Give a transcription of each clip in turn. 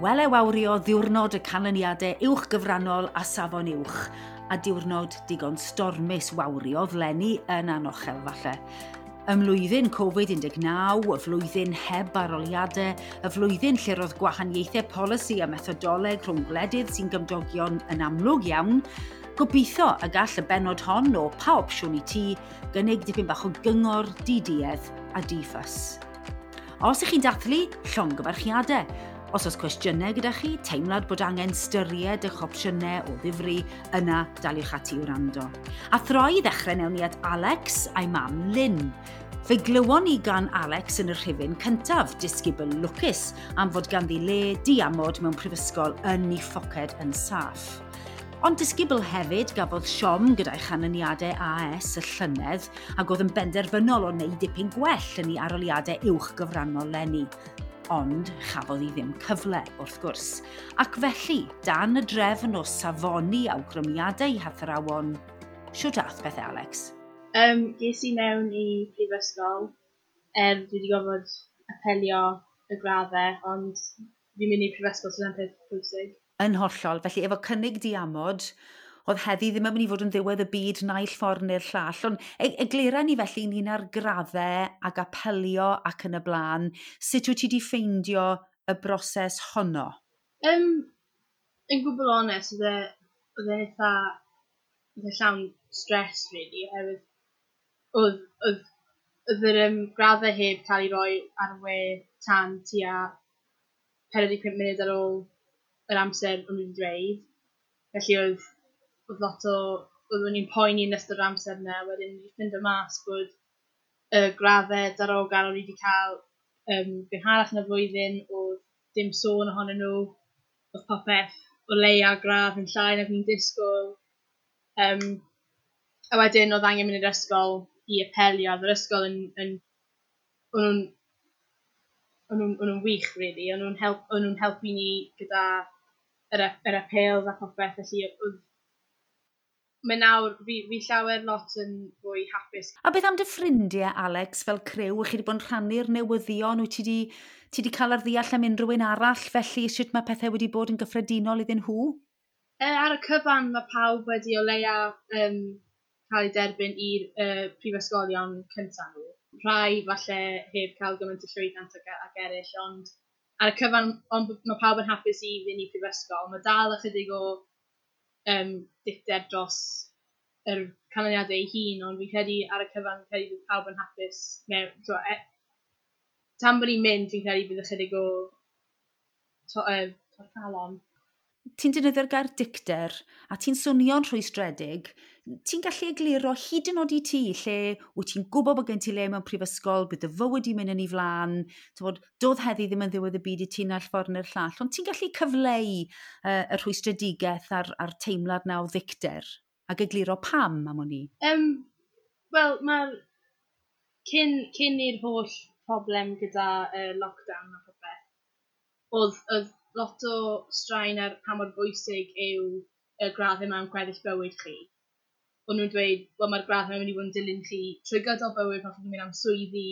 Wele wawrio ddiwrnod y canlyniadau uwch gyfrannol a safon uwch, a diwrnod digon stormus wawriodd leni yn anochel falle. Ym mlwyddyn Covid-19, y flwyddyn heb aroliadau, y flwyddyn lle roedd gwahaniaethau polisi a methodoleg rhwng gwledydd sy'n gymdogion yn amlwg iawn, gobeithio y gall y bennod hon o Pa Opsiwn i Ti gynnig dipyn bach o gyngor, diduedd a di-ffys. Os ych chi'n dathlu, llongyfarchiadau. Os oes cwestiynau gyda chi, teimlad bod angen styried eich opsiynau o ddifri, yna daliwch ati i wrando. A throi i ddechrau newn ni at Alex a'i mam Lynn. Fe glywon ni gan Alex yn y rhifyn cyntaf, disgybl lwcus am fod ganddi le diamod mewn prifysgol yn ei phoced yn saff. Ond disgybl hefyd gafodd siom gyda'i chanlyniadau AS y llynedd ac oedd yn benderfynol o wneud dipyn gwell yn ei aroliadau uwch gyfrannol leni. Ond chafodd hi ddim cyfle, wrth gwrs. Ac felly, dan y drefn o safoni awgrymiadau hathrawon, shwt ath pethau, Alex? Ges i mewn i prifysgol, er dwi wedi gorfod apelio y graddau, ond fi'n mynd i prifysgol sy'n peth pwysig. Yn hollol. Felly, efo cynnig diamod, oedd heddi ddim yn mynd i fod yn ddiwedd y byd naill ffordd neu'r llall. Ond eglura ni felly ynglyn â'r graddau ac apelio ac yn y blaen. Sut wyt ti wedi ffeindio y broses honno? Yn gwbl onest, oedd e eitha, oedd e llawn stress, really, oherwydd oedd yr graddau heb cael ei roi ar y we tan tua 45 munud ar ôl yr amser o'n nhw wedi dweud. Felly oedd lot o, oeddwn i'n poeni yn ystod yr amser yna, wedyn wedi ffindo mas bod y graddau darogan o'n i wedi cael gynharach yn y flwyddyn, oedd dim sôn ohonyn nhw, oedd popeth o leia gradd yn llai nag ni'n disgwyl. A wedyn oedd angen mynd i'r ysgol i apelio, oedd yr ysgol o'n nhw'n wych, really. O'n nhw'n helpu ni gyda yr apêls a popeth, felly oedd mae nawr, fi llawer lot yn fwy hapus. A beth am dy ffrindiau, Alex, fel criw? Ych chi wedi bod yn rhannu'r newyddion? Wyt ti wedi cael ar ddeall am unrhyw un arall? Felly, sut mae pethau wedi bod yn gyffredinol iddyn nhw? Ar y cyfan, mae pawb wedi o leia cael ei derbyn i'r prifysgolion cyntaf nhw. Rhai falle heb cael gymaint o llwyddiant ag eraill, ond ar y cyfan, ond mae pawb yn hapus i fynd i prifysgol. Mae dal ychydig o dicter dros yr canlyniadau ei hun, ond fi'n credu ar y cyfan, fi'n credu bydd pawb yn hapus. Tan bod ni'n mynd, fi'n credu bydd ychydig o torcalon. Ti'n defnyddio'r gair dicter, a ti'n swnio'n rhwystredig. Ti'n gallu egluro hyd yn oed i ti lle wyt ti'n gwybod bod gen ti le mewn prifysgol, bydd dy fywyd i'n mynd yn ei flaen, t'mod, doedd heddi ddim yn ddiwedd y byd i ti naill ffordd neu'r llall, ond ti'n gallu cyfleu y rhwystredigaeth a'r teimlad na o ddicter, ac egluro pam am wn i? Wel, mae'r cyn i'r holl problem gyda lockdown a popeth, oedd lot o straen ar pa mor bwysig yw y graddau mewn gweddill bywyd chi. O'n nhw'n dweud, wel, mae'r graddau yn mynd i fod yn dilyn chi trwy gydol bywyd pan chi'n mynd am swyddi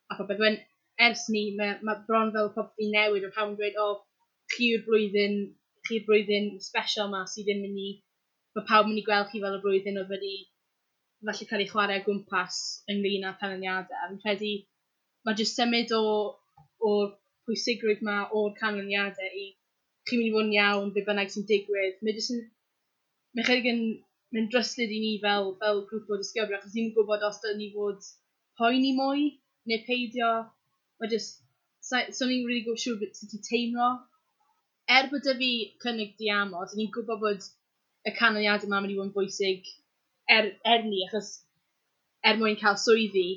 a popeth. When, ers ni, mae bron fel popeth i newid, o pawb yn dweud, o, chi yw'r blwyddyn special ma sydd ddim mynd i, mae pawb yn mynd i gweld chi fel y blwyddyn oedd wedi falle cael ei chwarae o gwmpas ynglyn â canlyniadau. A fi'n credu mae jyst symud o'r pwysigrwydd ma o'r canlyniadau i chi'n mynd i fod yn iawn, be bynnag sy'n digwydd. Mae jyst yn, mae chydig yn mynd dryslyd i ni fel grŵp o disgyblion, achos ni'n gwybod os dylwn ni fod poeni mwy neu peidio. Mae jyst, so ni'n really gwybod siŵr beth sut i teimlo. Er bod 'da fi cynnig diamod, ni'n gwybod bod y canlyniadau yma mynd i fod yn bwysig er ni, achos er mwyn cael swyddi,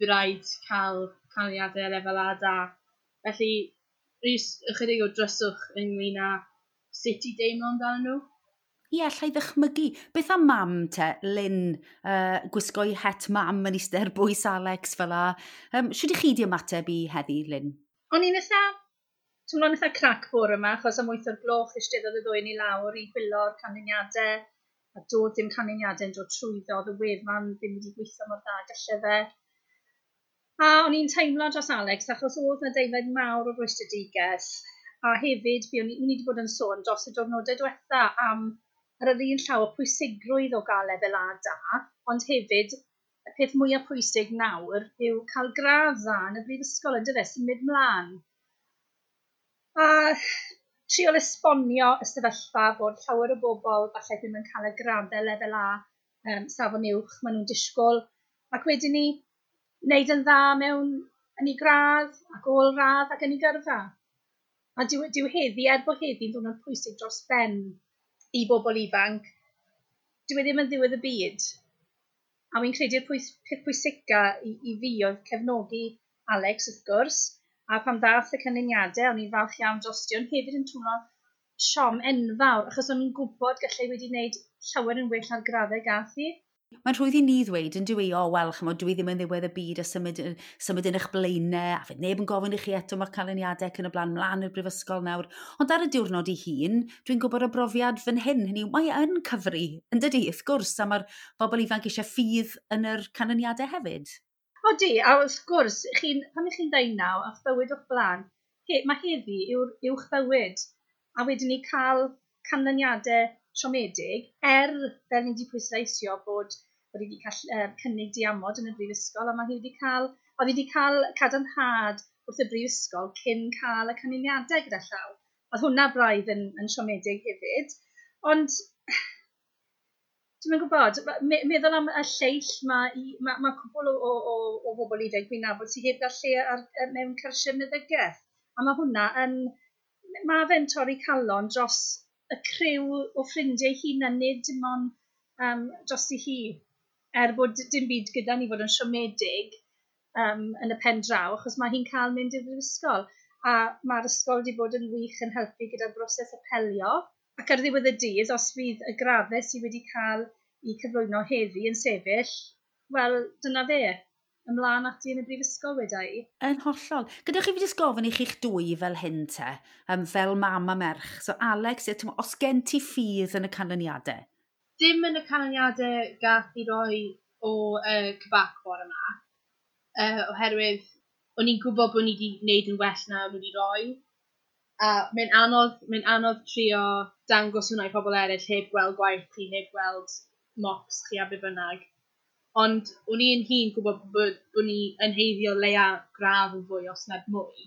bydd rhaid cael canlyniadau lefel A da. Felly, rhys ychydig o dryswch ynglyn â sut i deimlo amdano nhw. Ie, allai ddychmygu. Beth am mam te, Lynn, gwisgo'i het mam yn eistedd ar bwys Alex fel 'a. Shwt i chi di ymateb i heddi, Lynn? O'n i'n eitha, teimlo'n eitha crac bore yma, achos am 8 o'r gloch eisteddodd y ddwy ni lawr i chwilo'r canlyniadau, a doedd dim canlyniadau yn dod trwyddo, oedd y wefan ddim wedi gweithio mor dda gallai fe. A o'n i'n teimlo dros Alex, achos oedd 'na deimlad mawr o rwystredigaeth, A hefyd, fi ni wedi bod yn sôn dros y diwrnodau diwetha am ar yr un llaw y pwysigrwydd o gael lefel A da, ond hefyd y peth mwyaf pwysig nawr yw cael gradd dda yn y brifysgol, yn dyfe, symud mlaen. A trial esbonio y sefyllfa bod llawer o bobl falle ddim yn cael y graddau lefel A safon uwch maen nhw'n disgwyl, ac wedyn ni wneud yn dda mewn yn ei gradd ac ôl-radd ac yn ei gyrfa. A dyw heddi, er bod heddi'n ddwrnod pwysig dros ben i bobl ifanc, dyw e ddim yn ddiwedd y byd. A fi'n credu'r peth pwysica i fi oedd cefnogi Alex, wrth gwrs, a pan ddath y canlyniadau, o'n i'n falch iawn drosti, ond hefyd yn teimlo siom enfawr, achos o'n i'n gwybod gallai wedi wneud llawer yn well ar graddau gath hi. Mae'n rhwydd i ni ddweud yn dwi, o, wel, chymod, dwi ddim yn ddiwedd y byd a symud yn eich blaenau, a fydd neb yn gofyn i chi eto mae'r canlyniadau ac yn y blaen mlaen i'r brifysgol nawr. Ond ar y diwrnod i hun, dwi'n gwybod o brofiad fan hyn, hynny yw, mae yn cyfri, yn dydi, wrth gwrs, a mae'r bobl ifanc eisiau ffydd yn yr canlyniadau hefyd. Odi, a wrth gwrs, pan ych chi'n 19 a'ch bywyd o'ch blaen, mae heddi yw'r uwch bywyd, a wedyn ni cael canlyniadau siomedig, fel ni wedi pwysleisio bod wedi cael cynnig diamod yn y brifysgol, a mae hi wedi cael, oedd hi wedi cael cadarnhad wrth y brifysgol cyn cael y canlyniadau gyda llaw. Oedd hwnna braidd yn siomedig hefyd, ond dwi'm yn gwybod, meddwl am y lleill, mae cwpl o bobl ifanc fi'n nabod sydd heb gael lle mewn cyrsiau meddygaeth, a mae hwnna yn, mae fe'n torri calon dros y criw o ffrindiau hun a nid dim ond dros i hi. Er bod dim byd gyda ni fod yn siomedig yn y pen draw, achos mae hi'n cael mynd i'r brifysgol. A mae'r ysgol wedi bod yn wych yn helpu gyda'r broses apelio. Ac ar ddiwedd y dydd, os fydd y graddau sydd wedi cael eu cyflwyno heddi yn sefyll, wel, dyna fe. Ymlaen ati yn y brifysgol weda i. Yn hollol. Gadewch i fi jyst gofyn i chi'ch dwy fel hyn te, fel mam a merch. So Alex, os gen ti ffydd yn y canlyniadau? Dim yn y canlyniadau gath i roi o CBAC bore yma, oherwydd o'n i'n gwybod bod ni wedi gwneud yn well na o'n nhw wedi roi. A mae'n anodd trio dangos hwnna i pobl eraill heb gweld gwaith chi, heb gweld mocks chi a be bynnag. Ond o'n i'n hun gwybod bod ni yn heiddio leia gradd yn fwy os nad mwy.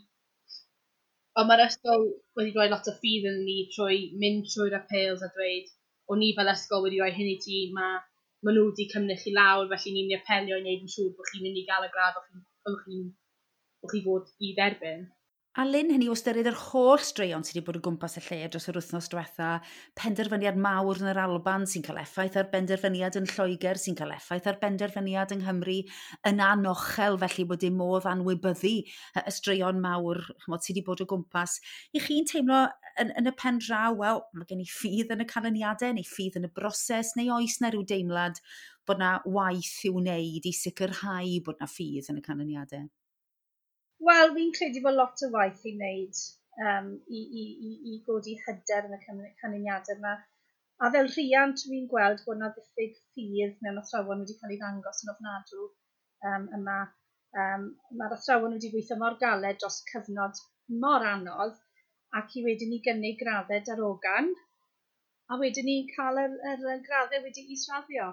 Ond mae'r ysgol wedi rhoi lot o ffydd yn ni trwy mynd trwy'r apêls a dweud o'n ni fel ysgol wedi rhoi hyn i ti, mae nhw wedi cymryd chi lawr, felly ni'n mynd i apelio i wneud yn siŵr bod chi'n mynd i gael y gradd o'ch chi fod i dderbyn. A Lynn, hynny o ystyried yr holl straeon sydd wedi bod o gwmpas y lle dros yr wythnos diwetha, penderfyniad mawr yn yr Alban sy'n cael effaith ar benderfyniad yn Lloegr, sy'n cael effaith ar benderfyniad yng Nghymru, yn anochel felly bod dim modd anwybyddu y straeon mawr, chymod, sydd wedi bod o gwmpas. I chi'n teimlo yn y pen draw, wel, mae gen i ffydd yn y canlyniadau, neu ffydd yn y broses, neu oes na rhyw deimlad bod na waith i'w wneud i sicrhau bod na ffydd yn y canlyniadau? Wel, fi'n credu bod lot o waith i wneud i godi hyder yn y canlyniadau yma. A fel rhiant, fi'n gweld bod yna ddiffyg ffydd mewn athrawon wedi cael ei ddangos yn ofnadw yma. Mae'r athrawon wedi gweithio mor galed dros cyfnod mor anodd, ac i wedyn ni gynnig graddau darogan, a wedyn ni cael yr graddau wedi israddio.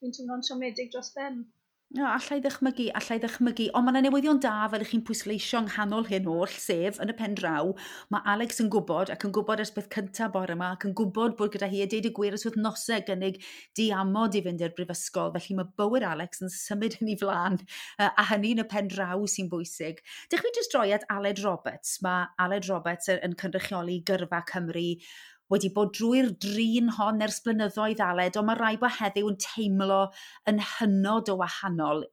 Dwi'n teimlo'n siomedig dros ben. No, allai ddychmygu, ond mae yna newyddion da fel ych chi'n pwysleisio yng nghanol hyn oll, sef yn y pen draw, mae Alex yn gwybod, ac yn gwybod ers beth cyntaf bore yma, ac yn gwybod bod gyda hi a deud y gwir ers wythnosau gynnig diamod i fynd i'r brifysgol, felly mae bywyd Alex yn symud yn ei flaen, a hynny yn y pen draw sy'n bwysig. Dych chi jyst droi at Aled Roberts. Mae Aled Roberts yn cynrychioli Gyrfa Cymru, wedi bod drwy'r drin hon ers blynyddoedd, Aled, ond mae rai bod heddiw yn teimlo yn hynod o wahanol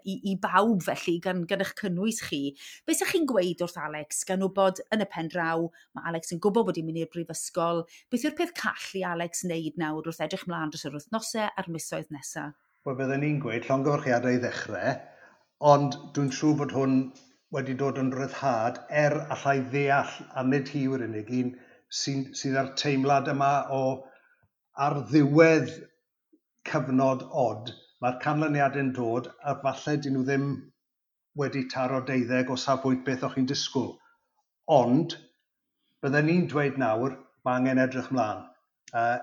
i bawb felly, gan eich cynnwys chi. Be sa'ch chi'n gweud wrth Alex, gan wybod yn y pen draw, mae Alex yn gwybod bod hi'n mynd i'r brifysgol. Beth yw'r peth call i Alex wneud nawr wrth edrych mlaen dros yr wythnosau a'r misoedd nesaf? Wel, bydden ni'n gweud llongyfarchiadau i ddechrau, ond dwi'n siŵr bod hwn wedi dod yn ryddhad allai ddeall, a nid hi yw'r unig un, sydd â'r teimlad yma o ar ddiwedd cyfnod od, mae'r canlyniadau'n dod a falle dyn nhw ddim wedi taro 12 o safbwynt beth o'ch chi'n disgwyl. Ond Bydden ni'n dweud nawr, mae angen edrych mlaen,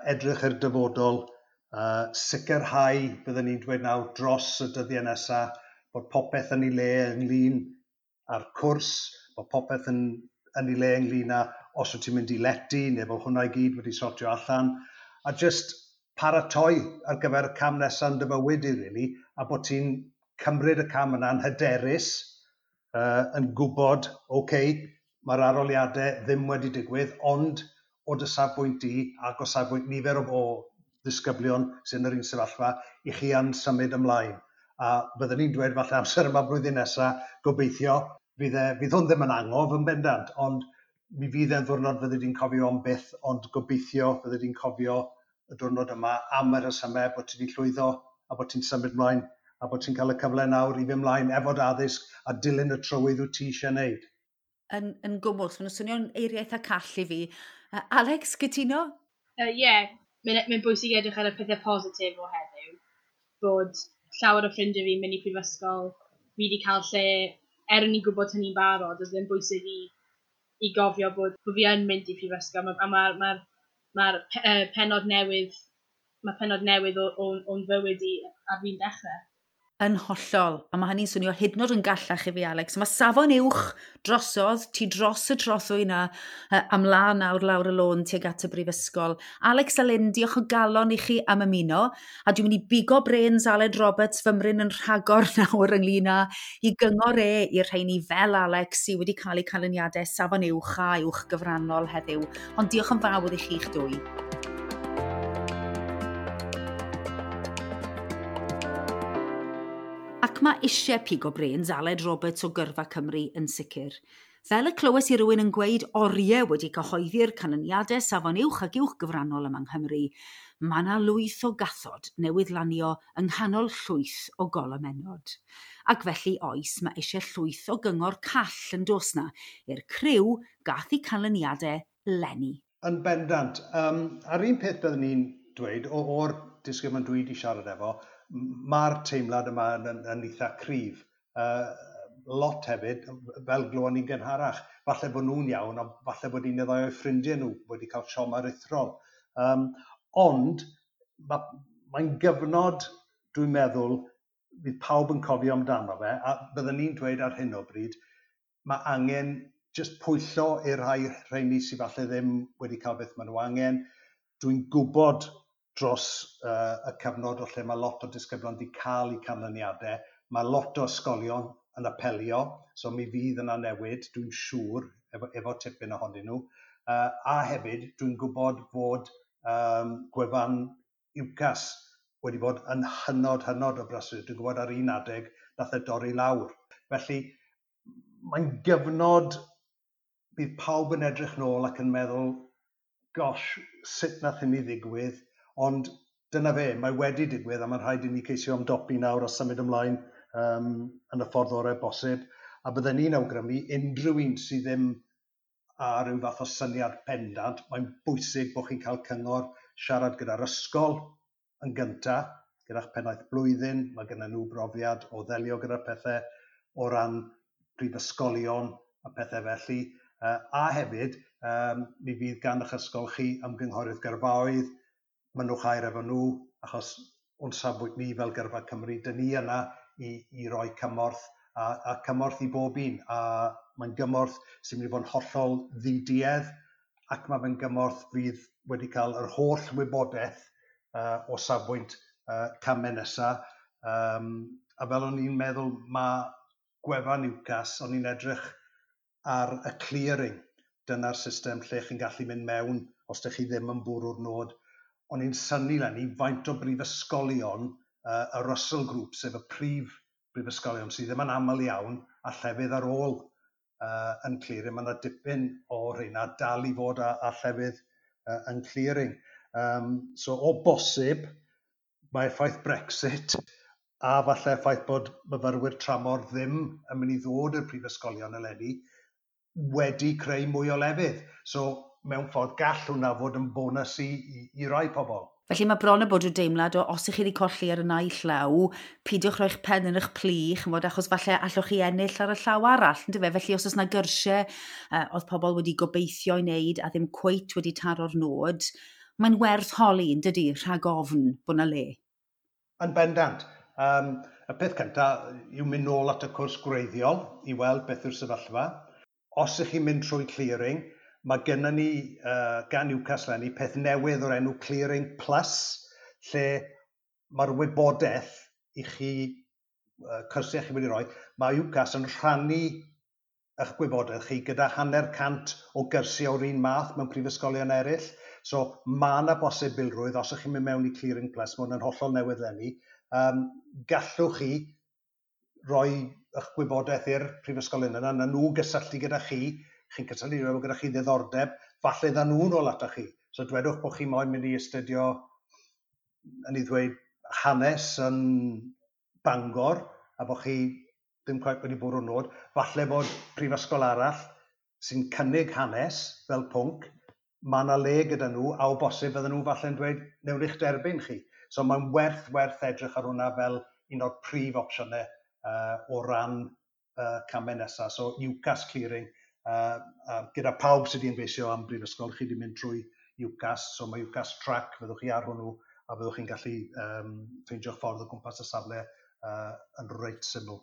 edrych i'r dyfodol, sicrhau, bydden ni'n dweud nawr, dros y dyddiau nesaf, bod popeth yn ei le ynglyn â'r cwrs, bod popeth yn ei le ynglyn â os wyt ti'n mynd i lety, neu bod hwnna i gyd wedi sortio allan, a just paratoi ar gyfer y cam nesaf yn dy fywyd i, really, a bod ti'n cymryd y cam yna'n hyderus, yn gwybod, okay, mae'r arholiadau ddim wedi digwydd, ond o dy safbwynt di ac o safbwynt nifer o ddisgyblion sy'n yr un sefyllfa, i chi yn symud ymlaen. A byddwn ni'n dweud falle amser yma blwyddyn nesaf, gobeithio, fydd hwn ddim yn angof yn bendant, ond mi fydd e'n ddwrnod fyddi di'n cofio am byth, ond gobeithio fyddi di'n cofio y diwrnod yma am y rhesymau bod ti wedi llwyddo a bod ti'n symud mlaen a bod ti'n cael y cyfle nawr i fynd mlaen efo dy addysg a dilyn y trywydd wyt ti eisiau wneud. Yn gwmws, maen nhw'n swnio'n eiriau eitha call i fi. Alex, cytuno? Ie, mae'n bwysig edrych ar y pethau positif o heddiw. Bod llawer o ffrindiau fi'n mynd i prifysgol, fi wedi cael lle, er o'n i'n gwybod hynny'n barod, oedd e'n bwysig i gofio bod fi yn mynd i prifysgol, a mae'r pennod newydd, mae pennod newydd o'n fywyd i ar fi'n dechrau. Yn hollol, a mae hynny'n swnio hyd yn oed yn gallach i fi, Alex. Mae safon uwch drosodd, ti dros y trothwy yna, am lan nawr lawr y lôn tuag at y brifysgol. Alex a Lynn, diolch o galon i chi am ymuno, a dwi'n mynd i bigo brains Aled Roberts fymryn yn rhagor nawr ynglyn â i gyngor e i'r rheini fel Alex sydd wedi cael eu canlyniadau safon uwch a uwch gyfrannol heddiw. Ond diolch yn fawr i chi'ch dwy. Ac mae eisiau pigo brains Aled Roberts o Gyrfa Cymru yn sicr. Fel y clywes i rywun yn gweud oriau wedi cyhoeddi'r canlyniadau safon uwch ac uwch gyfrannol yma yng Nghymru, mae yna lwyth o gathod newydd lanio yng nghanol llwyth o golomennod. Ac felly oes, mae eisiau llwyth o gyngor call yn dos na i'r criw gath eu canlyniadau leni. Yn bendant. A'r un peth byddwn ni'n dweud, o'r disgyblion dwi wedi siarad efo, mae'r teimlad yma yn eitha cryf. Lot hefyd, fel glywon ni'n gynharach, falle bod nhw'n iawn, ond falle bod un neu ddau o'u ffrindiau nhw wedi cael siom aruthrol. Ond mae'n gyfnod, dwi'n meddwl, fydd pawb yn cofio amdano fe, a byddwn ni'n dweud ar hyn o bryd, mae angen jyst pwyllo i'r rhai rheini sydd falle ddim wedi cael beth maen nhw angen. Dwi'n gwybod dros y cyfnod o lle mae lot o disgyblion wedi cael eu canlyniadau, mae lot o ysgolion yn apelio, so mi fydd yna newid, dwi'n siŵr, efo tipyn ohonyn nhw. A hefyd, dwi'n gwybod fod gwefan UCAS wedi bod yn hynod, hynod o brysur. Dwi'n gwybod ar un adeg nath e dorri lawr. Felly, mae'n gyfnod bydd pawb yn edrych nôl ac yn meddwl, gosh, sut nath hynny ddigwydd? Ond dyna fe, mae wedi digwydd a mae'n rhaid i ni ceisio ymdopi nawr a symud ymlaen yn y ffordd orau bosib. A bydden ni'n awgrymu unrhyw un sydd ddim ar ryw fath o syniad pendant, mae'n bwysig bod chi'n cael cyngor siarad gyda'r ysgol yn gyntaf, gyda'ch pennaeth blwyddyn, mae gennym nhw brofiad o ddelio gyda'r pethau o ran prifysgolion a pethau felly. A hefyd, mi fydd gan eich ysgol chi ymgynghorydd gyrfaoedd, mynnwch air efo nhw, achos o'n safbwynt ni fel Gyrfa Cymru, dyn ni yna i roi cymorth, a cymorth i bob un. A mae'n gymorth sy'n mynd i fod yn hollol ddiduedd, ac mae fe'n gymorth fydd wedi cael yr holl wybodaeth o safbwynt camau nesaf. A fel o'n i'n meddwl, mae gwefan UCAS, o'n i'n edrych ar y clearing. Dyna'r system lle chi'n gallu mynd mewn os ydych chi ddim yn bwrw'r nod. O'n i'n synnu leni faint o brifysgolion y Russell Group, sef y prif brifysgolion sydd ddim yn aml iawn, a llefydd ar ôl yn clearing. Mae yna dipyn o rheina dal i fod â llefydd yn clearing. So o bosib, mae effaith Brexit a falle effaith bod myfyrwyr tramor ddim yn mynd i ddod i'r prifysgolion eleni wedi creu mwy o lefydd. So mewn ffordd gall hwnna fod yn bonus i rai pobl. Felly mae bron y bod rhyw deimlad o os ych chi wedi colli ar y naill law, peidiwch roi'ch pen yn eich plu, chymod, achos falle allwch chi ennill ar y llaw arall, yndyfe? Felly os oes yna gyrsiau oedd pobl wedi gobeithio i wneud a ddim cweit wedi taro'r nod, mae'n werth holi, yn dydy, rhag ofn bod yna le. Yn bendant. Y peth cyntaf yw mynd nôl at y cwrs gwreiddiol i weld beth yw'r sefyllfa. Os ych chi'n mynd trwy clearing, mae gennym ni gan UCAS leni peth newydd o'r enw Clearing Plus, lle mae'r wybodaeth i chi, cyrsiau chi wedi rhoi, mae UCAS yn rhannu eich gwybodaeth chi gyda 50 o gyrsiau o'r un math mewn prifysgolion eraill. So mae yna bosibilrwydd, os ych chi'n mynd mewn i Clearing Plus, mae hwn yn hollol newydd leni, gallwch chi roi eich gwybodaeth i'r prifysgolion yna, na nhw gysylltu gyda chi, chi'n cysylltu efo gyda chi ddiddordeb, falle dda nhw'n ôl atoch chi. So dwedwch bod chi moyn mynd i astudio, yn ei ddweud, hanes yn Bangor, a bod chi ddim cweit wedi bwrw'r nod, falle bod prifysgol arall sy'n cynnig hanes fel pwnc, mae yna le gyda nhw, a o bosib fydden nhw falle'n dweud, newn ni'ch derbyn chi. So mae'n werth edrych ar hwnna fel un o'r prif opsiynau o ran camau nesaf. So UCAS Clearing, gyda pawb sydd wedi ymgeisio am brifysgol, chi wedi mynd trwy UCAS, so mae UCAS Track, fyddwch chi ar hwnnw, a fyddwch chi'n gallu ffeindio'ch ffordd o gwmpas y safle yn reit syml.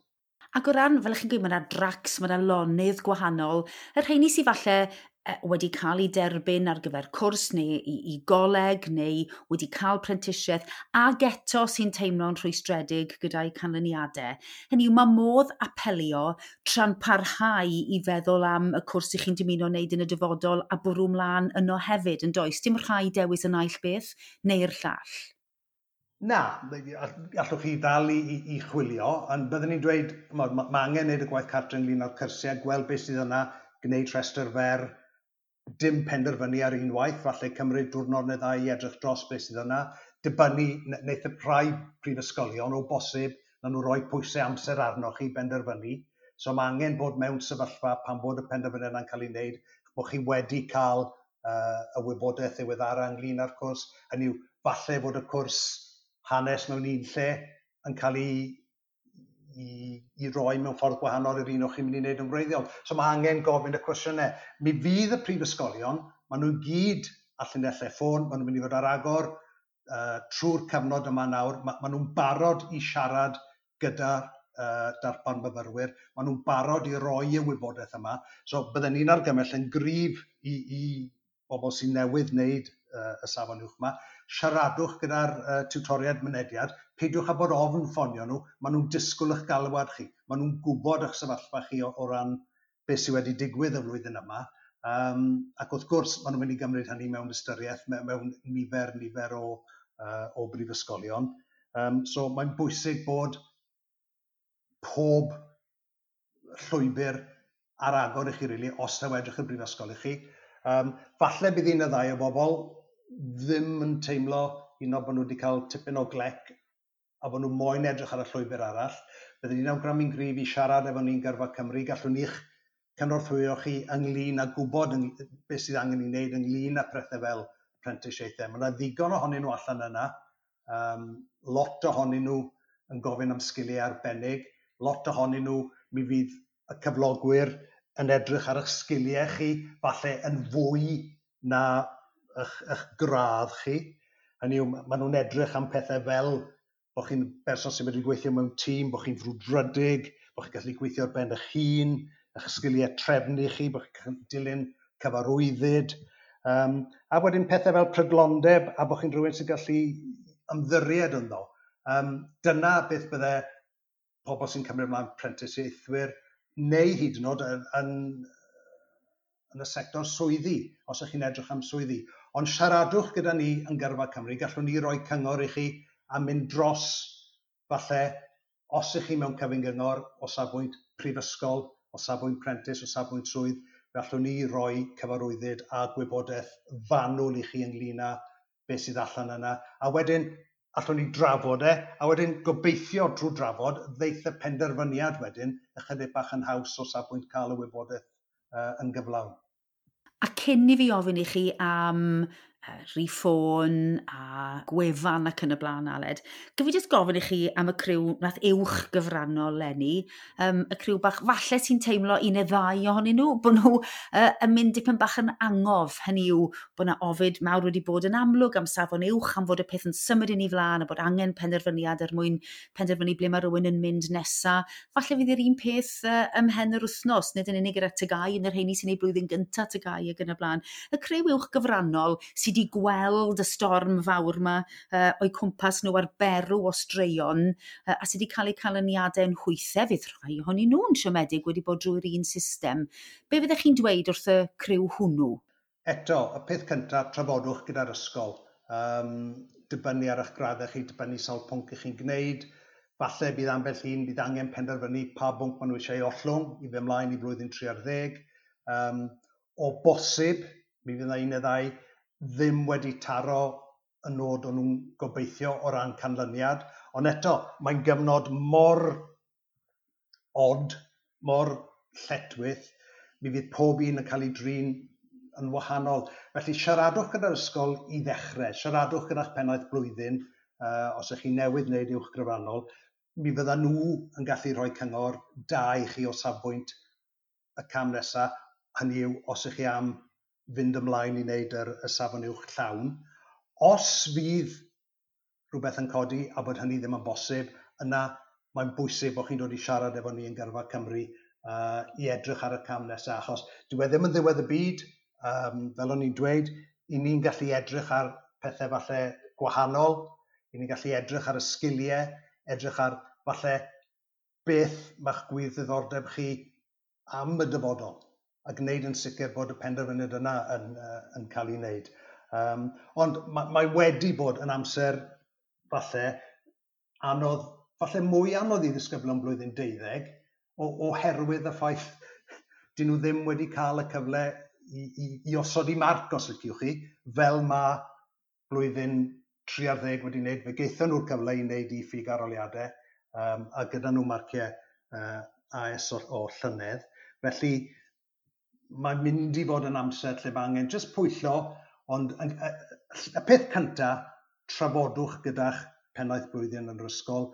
Ac o ran, fel ych chi'n gweud, mae yna dracs, mae yna lonydd gwahanol. Y rheini sydd falle wedi cael eu derbyn ar gyfer cwrs neu i goleg neu wedi cael prentisiaeth ac eto sy'n teimlo'n rhwystredig gyda'i canlyniadau. Hynny yw, mae modd apelio tra'n parhau i feddwl am y cwrs ych chi'n dymuno wneud yn y dyfodol a bwrw mlaen yno hefyd, yn does? Dim rhaid dewis y naill beth neu'r llall. Na, allwch chi ddal i chwilio, ond byddwn ni'n dweud, mae angen gwneud y gwaith cartre ynglyn â'r cyrsiau, gweld beth sydd yna, gwneud rhestr fer, dim penderfynu ar unwaith, falle cymryd diwrnod neu ddau i edrych dros beth sydd yna, dibynnu, wneith y rhai prifysgolion o bosib, na nhw roi pwysau amser arnoch chi benderfynu. So mae angen bod mewn sefyllfa pan bod y penderfyniad yna'n cael ei wneud, bod chi wedi cael y wybodaeth ddiweddara ynglyn â'r cwrs, hynny yw, falle bod y cwrs hanes mewn un lle yn cael ei roi mewn ffordd gwahanol i'r un o'ch chi'n mynd i wneud yn wreiddiol. So mae angen gofyn y cwestiynau. Mi fydd y prifysgolion, maen nhw gyd ar llinellau ffôn, maen nhw'n mynd i fod ar agor trwy'r cyfnod yma nawr. Maen nhw'n barod i siarad gyda darpar myfyrwyr, maen nhw'n barod i roi y wybodaeth yma. So bydden ni'n argymell yn gryf i bobl sy'n newydd wneud y safon uwch yma, siaradwch gyda'r tiwtoriaid mynediad, peidiwch â bod ofn ffonio nhw, maen nhw'n disgwyl eich galwad chi, maen nhw'n gwybod eich sefyllfa chi o ran beth sydd wedi digwydd y flwyddyn yma, ac wrth gwrs maen nhw'n mynd i gymryd hynny mewn ystyriaeth mewn nifer o brifysgolion. So mae'n bwysig bod pob llwybr ar agor i chi, really, os taw edrych y brifysgol i chi. Falle bydd un neu ddau o bobl ddim yn teimlo un o bod nhw wedi cael tipyn o glec a bod nhw moyn edrych ar y llwybr arall. Byddwn ni'n awgrymu'n gryf i siarad efo ni'n Gyrfa Cymru. Gallwn ni'ch cynorthwyo chi ynglyn â gwybod beth sydd angen ei wneud ynglyn â pethau fel prentisiaethau. Mae yna ddigon ohonyn nhw allan yna. Lot ohonyn nhw yn gofyn am sgiliau arbennig. Lot ohonyn nhw, mi fydd y cyflogwyr yn edrych ar eich sgiliau chi, falle yn fwy na eich gradd chi. Hynny yw, maen nhw'n edrych am pethau fel bod chi'n berson sy'n medru gweithio mewn tîm, bod chi'n frwdfrydig, bod chi'n gallu gweithio ar ben eich hun, eich sgiliau trefnu chi, bod chi'n dilyn cyfarwyddyd. A wedyn pethau fel prydlondeb a bod chi'n rhywun sy'n gallu ymddiried ynddo. Dyna beth bydde pobl sy'n cymryd ymlaen prentisiaethwyr neu hyd yn oed yn y sector swyddi, os ydych chi'n edrych am swyddi. Ond siaradwch gyda ni yn Gyrfa Cymru, gallwn ni roi cyngor i chi a mynd dros, falle, os ydych chi mewn cyfyng gyngor o safbwynt prifysgol, o safbwynt prentis, o safbwynt swydd, gallwn ni roi cyfarwyddyd a gwybodaeth fanwl i chi ynglyn â beth sydd allan yna. A wedyn, allwn ni drafod e, a wedyn gobeithio drwy drafod, ddeith y penderfyniad wedyn ychydig bach yn haws o safbwynt cael y wybodaeth yn gyflawn. A cyn i fi ofyn i chi am Rhif ffôn a gwefan ac yn y blaen, Aled. Gaf i jyst gofyn i chi am y criw nath uwch gyfrannol leni, y criw bach falle sy'n teimlo un neu ddau ohonyn nhw, bod nhw yn mynd dipyn bach yn angof, hynny yw bod yna ofid mawr wedi bod yn amlwg am safon uwch, am fod y peth yn symud yn ei flaen a bod angen penderfyniad er mwyn penderfynu ble mae rhywun yn mynd nesa. Falle fydd yr un peth ymhen yr wythnos, nid yn unig gyda TGAU, yn yr rheini sy'n ei blwyddyn gyntaf TGAU ac yn y blaen. Y criw uwch gyfrannol sydd wedi gweld y storm fawr yma o'i cwmpas nhw ar berw o straeon a sydd wedi cael eu canlyniadau yn hwythau, fydd rhai ohonyn nhw'n siomedig wedi bod drwy'r un system. Be fyddech chi'n dweud wrth y criw hwnnw? Eto, y peth cyntaf, trafodwch gyda'r ysgol. Dibynnu ar eich graddau chi, dibynnu sawl pwnc ych chi'n gwneud. Falle bydd ambell un, bydd angen penderfynu pa bwnc maen nhw eisiau ei ollwng i fynd ymlaen i flwyddyn 30. O bosib, mi fydd yna un neu ddau ddim wedi taro y nod o'n nhw'n gobeithio o ran canlyniad. Ond eto, mae'n gyfnod mor od, mor lletchwith, mi fydd pob un yn cael ei drin yn wahanol. Felly siaradwch gyda'r ysgol i ddechrau, siaradwch gyda'ch pennaeth blwyddyn, os ydych chi newydd wneud uwch gyfrannol, mi fydda nhw yn gallu rhoi cyngor da i chi o safbwynt y cam nesaf, hynny yw os ydych chi am fynd ymlaen i wneud y safon uwch llawn. Os fydd rhywbeth yn codi a bod hynny ddim yn bosib, yna mae'n bwysig bod chi'n dod i siarad efo ni yn Gyrfa Cymru i edrych ar y cam nesaf, achos dyw e ddim yn ddiwedd y byd, fel o'n i'n dweud, i ni'n gallu edrych ar pethau falle gwahanol, i ni'n gallu edrych ar y sgiliau, edrych ar falle beth mae'ch gwir ddiddordeb chi am y dyfodol, a gwneud yn sicr bod y penderfyniad yna yn cael ei wneud. Ond mae wedi bod yn amser falle anodd, falle mwy anodd i ddisgyblion blwyddyn 12, oherwydd y ffaith dyn nhw ddim wedi cael y cyfle i osod i marc, os liciwch chi, fel mae blwyddyn 13 wedi wneud. Fe gaethon nhw'r cyfle i wneud i ffug arholiadau, a gyda nhw marciau AS o llynedd. Felly mae'n mynd i fod yn amser lle mae angen jyst pwyllo, ond y peth cyntaf, trafodwch gyda'ch pennaeth blwyddyn yn yr ysgol.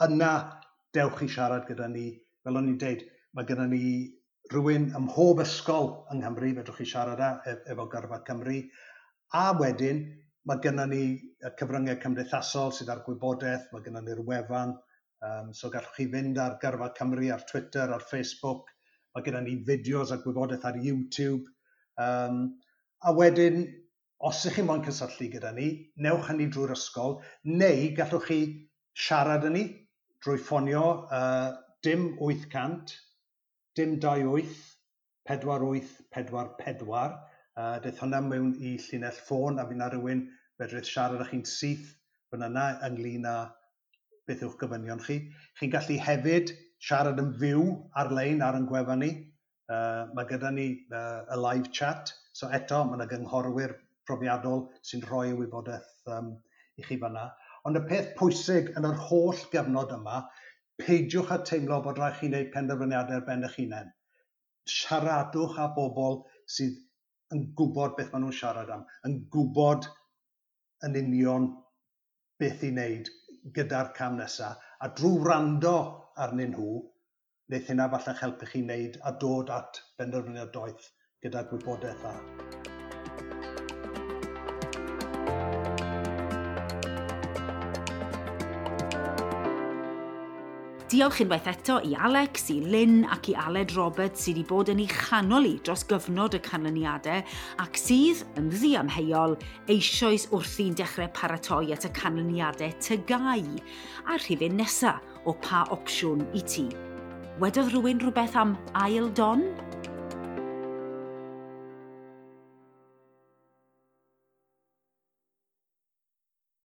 Yna dewch i siarad gyda ni. Fel o'n i'n deud, mae gyda ni rhywun ym mhob ysgol yng Nghymru, fedrwch chi siarad â efo Gyrfa Cymru. A wedyn, mae gyda ni y cyfryngau cymdeithasol sydd ar gwybodaeth, mae gyda ni'r wefan, so gallwch chi fynd ar Gyrfa Cymru, ar Twitter, ar Facebook, mae gyda ni fideos a gwybodaeth ar YouTube. A wedyn, os ych chi moyn cysylltu gyda ni, newch hynny drwy'r ysgol, neu gallwch chi siarad â ni drwy ffonio dim 800, dim 28, 48, 44. Daeth hwnna mewn i llinell ffôn a fydd 'na rhywun fedrith siarad â chi'n syth fan yna ynglyn â beth yw'ch gofynion chi. Chi'n gallu hefyd siarad yn fyw ar-lein ar ein gwefan ni. Mae gyda ni y live chat, so eto mae yna gynghorwyr profiadol sy'n rhoi y wybodaeth i chi fanna. Ond y peth pwysig yn yr holl gyfnod yma, peidiwch â teimlo bod rhaid chi wneud penderfyniadau ar ben eich hunain. Siaradwch â bobl sydd yn gwybod beth maen nhw'n siarad am, yn gwybod yn union beth i wneud gyda'r cam nesaf, a drwy wrando arnyn nhw, wneith hynna falle'ch helpu chi wneud a dod at benderfyniad doeth gyda gwybodaeth dda. Diolch unwaith eto i Alex, i Lynn ac i Aled Roberts sydd wedi bod yn ei chanol i dros gyfnod y canlyniadau ac sydd, yn ddiamheuol, eisoes wrthi'n dechrau paratoi at y canlyniadau TGAU a'r rhifyn nesaf o Pa Opsiwn i Ti. Wedodd rhywun rhywbeth am ail don?